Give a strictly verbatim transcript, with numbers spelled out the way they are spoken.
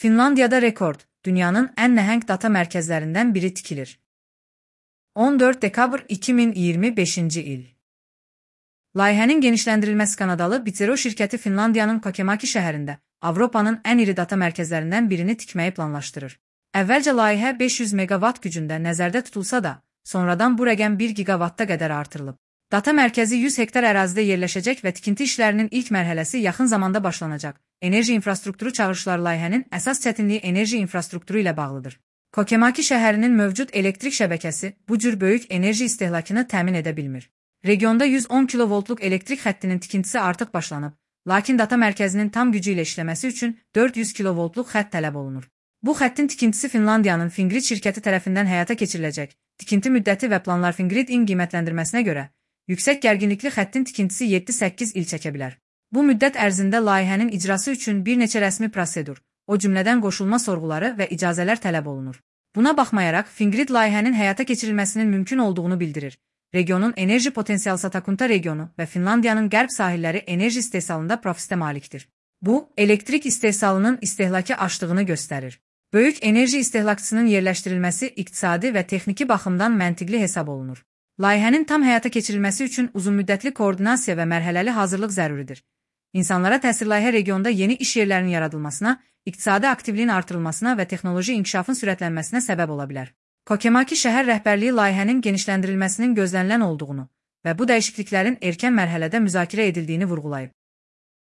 Finlandiyada rekord, dünyanın ən nəhəng data mərkəzlərindən biri tikilir. on dörd dekabr iki min iyirmi beşinci il. Layihənin genişləndirilməsi Kanadalı Bitero şirkəti Finlandiyanın Kokemaki şəhərində Avropanın ən iri data mərkəzlərindən birini tikməyi planlaşdırır. Əvvəlcə layihə beş yüz meqavat gücündə nəzərdə tutulsa da, sonradan bu rəqəm bir giqavatta qədər artırılıb. Data mərkəzi yüz hektar ərazidə yerləşəcək və tikinti işlərinin ilk mərhələsi yaxın zamanda başlanacaq. Enerji infrastrukturu çağırışları layihənin əsas çətinliyi enerji infrastrukturu ilə bağlıdır. Kokemaki şəhərinin mövcud elektrik şəbəkəsi bu cür böyük enerji istehlakını təmin edə bilmir. Regionda yüz on kilovoltluq elektrik xəttinin tikintisi artıq başlanıb, lakin data mərkəzinin tam gücü ilə işləməsi üçün dörd yüz kilovoltluq xətt tələb olunur. Bu xəttin tikintisi Finlandiyanın Fingrid şirkəti tərəfindən həyata keçiriləcək. Tikinti müddəti və planlar Fingrid-in qiymətləndirməsinə görə yüksək gərginlikli xəttin tikintisi yeddi səkkiz il çəkə bilər. Bu müddət ərzində layihənin icrası üçün bir neçə rəsmi prosedur, o cümlədən qoşulma sorğuları və icazələr tələb olunur. Buna baxmayaraq, Fingrid layihənin həyata keçirilməsinin mümkün olduğunu bildirir. Regionun enerji potensialı Satakunta regionu və Finlandiyanın qərb sahilləri enerji istehsalında profitə malikdir. Bu, elektrik istehsalının istehlakı aşdığını göstərir. Böyük enerji istehlakçısının yerləşdirilməsi iqtisadi və texniki baxımdan məntiqli hesab olunur. Layihənin tam həyata keçirilməsi üçün uzunmüddətli koordinasiya və mərhələli hazırlıq zəruridir. İnsanlara təsir layihə regionda yeni iş yerlərinin yaradılmasına, iqtisadi aktivliyin artırılmasına və texnoloji inkişafın sürətlənməsinə səbəb ola bilər. Kokemaki şəhər rəhbərliyi layihənin genişləndirilməsinin gözlənilən olduğunu və bu dəyişikliklərin erkən mərhələdə müzakirə edildiyini vurğulayıb.